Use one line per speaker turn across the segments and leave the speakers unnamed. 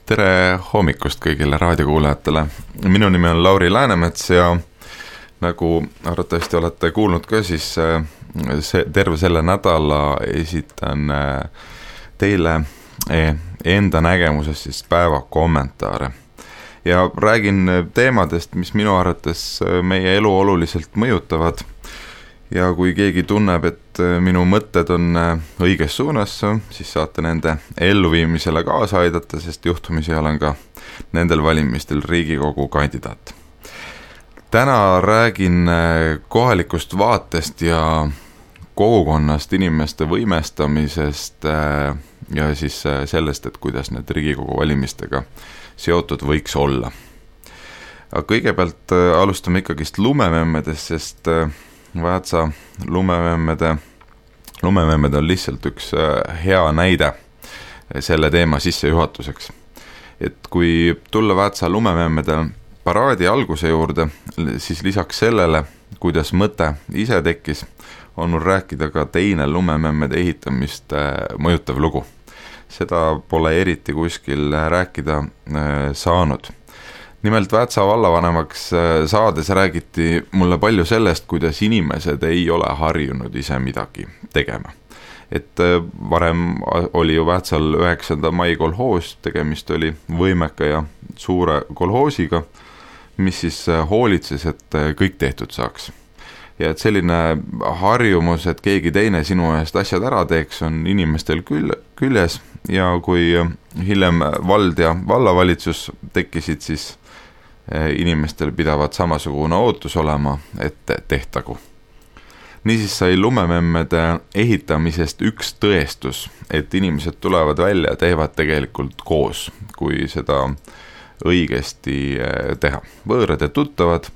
Tere hommikust kõigile raadiokuulajatele. Minu nimi on Lauri Läänemets ja nagu arvatavasti olete kuulnud ka, siis terve selle nädala esitan teile enda nägemusest siis päeva kommentaare. Ja räägin teemadest, mis minu arvates meie elu oluliselt mõjutavad. Ja kui keegi tunneb, et minu mõtted on õiges suunas, siis saate nende elluviimisele kaasa aidata, sest juhtumisi olen ka nendel valimistel Riigikogu kandidaat. Täna räägin kohalikust vaatest ja kogukonnast, inimeste võimestamisest ja siis sellest, et kuidas need Riigikogu valimistega seotud võiks olla. Aga kõigepealt alustame ikkagist lumememmedest, sest Väätsa lumememmede on lihtsalt üks hea näide selle teema sissejuhatuseks. Et kui tulla Väätsa lumememmede paraadi alguse juurde, siis lisaks sellele, kuidas mõte ise tekkis, on mul rääkida ka teine lumememmede ehitamist mõjutav lugu. Seda pole eriti kuskil rääkida saanud. Nimelt Väätsa vallavanemaks saades räägiti mulle palju sellest, kuidas inimesed ei ole harjunud ise midagi tegema. Et varem oli ju Väätsal 9. mai kolhoos, tegemist oli võimeka ja suure kolhoosiga, mis siis hoolitses, et kõik tehtud saaks. Ja et selline harjumus, et keegi teine sinu eest asjad ära teeks, on inimestel küljes ja kui hiljem vald ja vallavalitsus tekkisid, siis inimestel pidavad samasugune ootus olema, et tehtagu. Niisiis sai lumememmede ehitamisest üks tõestus, et inimesed tulevad välja ja teevad tegelikult koos, kui seda õigesti teha. Võõrad ja tuttavad,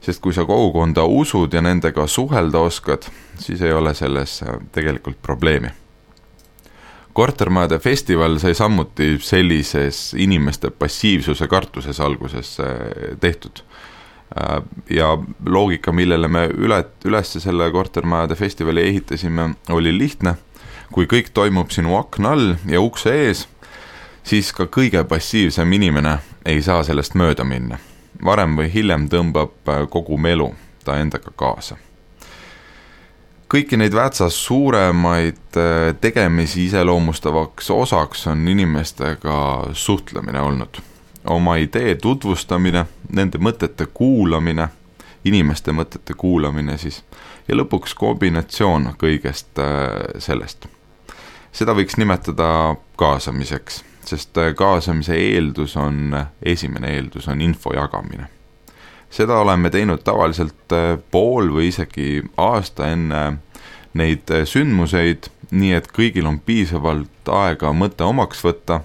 sest kui sa kogukonda usud ja nendega suhelda oskad, siis ei ole selles tegelikult probleemi. Kortermajade festival sai samuti sellises inimeste passiivsuse kartuses alguses tehtud. Ja loogika, millele me üles selle kortermajade festivali ehitasime, oli lihtne. Kui kõik toimub sinu akna all ja ukse ees, siis ka kõige passiivsem inimene ei saa sellest mööda minna. Varem või hiljem tõmbab kogu melu ta endaga kaasa. Kõiki neid Väätsa suuremaid tegemisi iseloomustavaks osaks on inimestega suhtlemine olnud. Oma idee tutvustamine, nende mõtete kuulamine, inimeste mõtete kuulamine siis, ja lõpuks kombinatsioon kõigest sellest. Seda võiks nimetada kaasamiseks, sest kaasamise esimene eeldus on info jagamine. Seda oleme teinud tavaliselt pool või isegi aasta enne neid sündmuseid, nii et kõigil on piisavalt aega mõte omaks võtta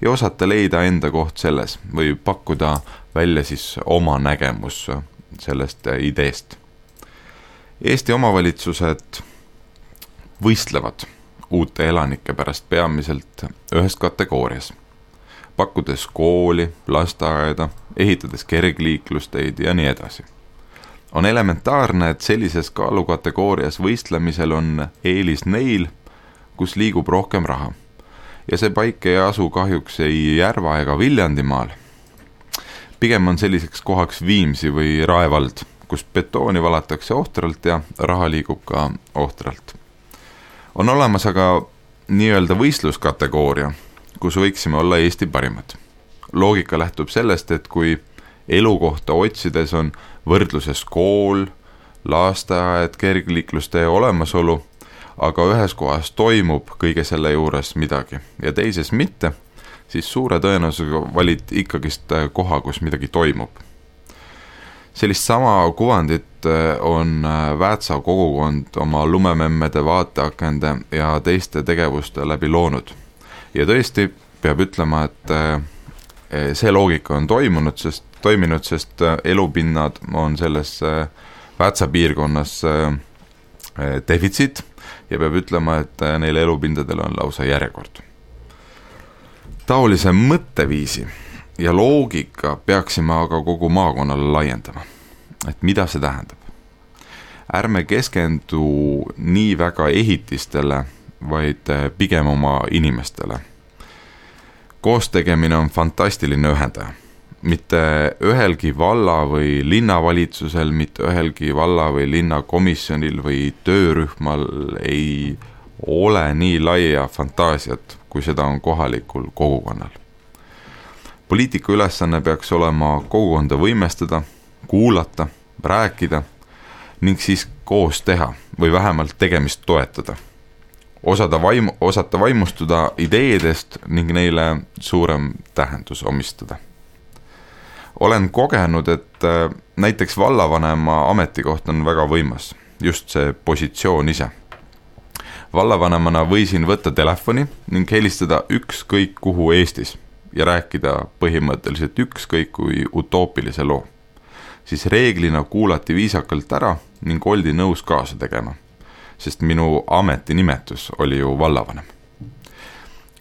ja osata leida enda koht selles või pakkuda välja siis oma nägemus sellest ideest. Eesti omavalitsused võistlevad uute elanike pärast peamiselt ühes kategoorias. Pakkudes kooli, lasteaeda, ehitades kergliiklusteid ja nii edasi. On elementaarne, et sellises kaalukategoorias võistlemisel on eelis neil, kus liigub rohkem raha. Ja see paik ei asu kahjuks ei Järva ega Viljandimaal. Pigem on selliseks kohaks Viimsi või Rae vald, kus betooni valatakse ohtralt ja raha liigub ka ohtralt. On olemas aga nii-öelda võistluskategooria, kus võiksime olla Eesti parimad. Loogika lähtub sellest, et kui elukohta otsides on võrdluses kool, lasteaed, kergliiklustee olemasolu, aga ühes kohas toimub kõige selle juures midagi ja teises mitte, siis suure tõenäosusega valid ikkagist koha, kus midagi toimub. Sellist sama kuvandit on Väätsa kogukond oma lumememmede vaateakende ja teiste tegevuste läbi loonud. Ja tõesti peab ütlema, et see loogika on toiminud, sest elupinnad on selles Väätsa piirkonnas defitsiit ja peab ütlema, et neile elupindadele on lausa järjekord. Taolise mõtteviisi ja loogika peaksime aga kogu maakonnale laiendama. Et mida see tähendab? Ärme keskendu nii väga ehitistele, vaid pigem oma inimestele. Koostegemine on fantastiline ühendaja. Mitte ühelgi valla või linnavalitsusel, mitte ühelgi valla või linnakomisjonil või töörühmal ei ole nii laia fantaasiat, kui seda on kohalikul kogukonnal. Poliitiku ülesanne peaks olema kogukonda võimestada, kuulata, rääkida ning siis koos teha või vähemalt tegemist toetada. Osata vaimustuda ideedest ning neile suurem tähendus omistada. Olen kogenud, et näiteks vallavanema ametikoht on väga võimas, just see positsioon ise. Vallavanemana võisin võtta telefoni ning helistada ükskõik kuhu Eestis ja rääkida põhimõtteliselt ükskõik kui utoopilise loo. Siis reeglina kuulati viisakalt ära ning oldi nõus kaasa tegema, sest minu ametinimetus oli ju vallavanem.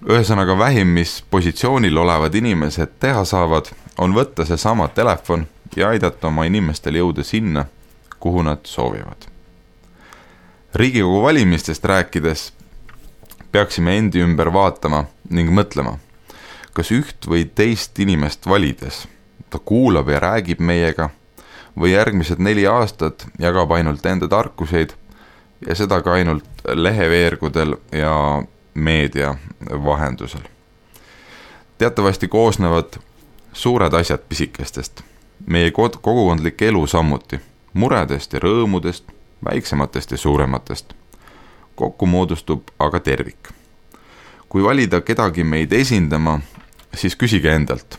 Ühesõnaga vähim, mis positsioonil olevad inimesed teha saavad, on võtta see sama telefon ja aidata oma inimestel jõuda sinna, kuhu nad soovivad. Riigikogu valimistest rääkides peaksime endi ümber vaatama ning mõtlema, kas üht või teist inimest valides ta kuulab ja räägib meiega või järgmised 4 aastat jagab ainult enda tarkuseid ja seda ka ainult leheveergudel ja meedia vahendusel. Teatavasti koosnevad suured asjad pisikestest, meie kogukondlik elu samuti, muredest ja rõõmudest, väiksematest ja suurematest. Kokku moodustub aga tervik. Kui valida kedagi meid esindama, siis küsige endalt,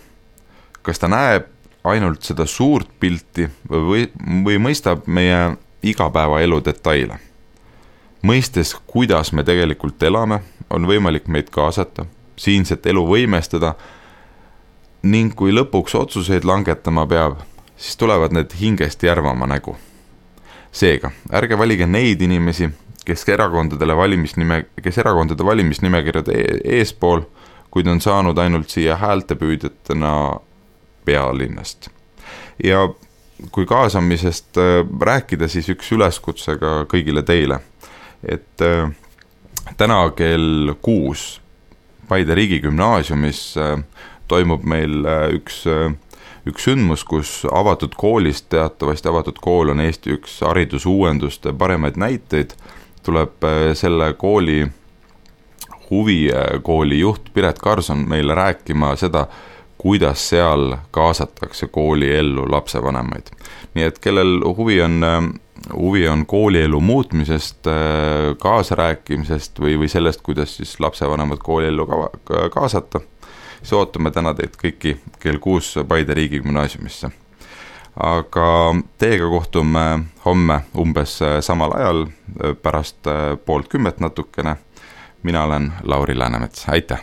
kas ta näeb ainult seda suurt pilti või mõistab meie igapäevaelu detaile. Mõistes, kuidas me tegelikult elame, on võimalik meid kaasata, siinset elu võimestada ning kui lõpuks otsuseid langetama peab, siis tulevad need hingest järvama nägu. Seega, ärge valige neid inimesi, kes erakondade valimisnimekirjade eespool, kuid on saanud ainult siia häältepüüdjatena pealinnast. Ja kui kaasamisest rääkida, siis üks üleskutsega kõigile teile, et täna kell 6 Paide riigigümnaasiumis toimub meil üks sündmus, kus avatud koolist, teatavasti avatud kool on Eesti üks haridusuuenduste paremaid näiteid, tuleb selle kooli huvikooli juht Piret Karson meile rääkima seda, kuidas seal kaasatakse kooliellu lapsevanemaid. Nii et kellel huvi on koolielu muutmisest, kaasarääkimisest või sellest, kuidas siis lapsevanemad kooliellu kaasata, siis ootame täna teid kõiki kell 6 Paide riigigümnaasiumisse. Aga teiega kohtume homme umbes samal ajal, pärast 9:30 natukene. Mina olen Lauri Läänemets, aitäh!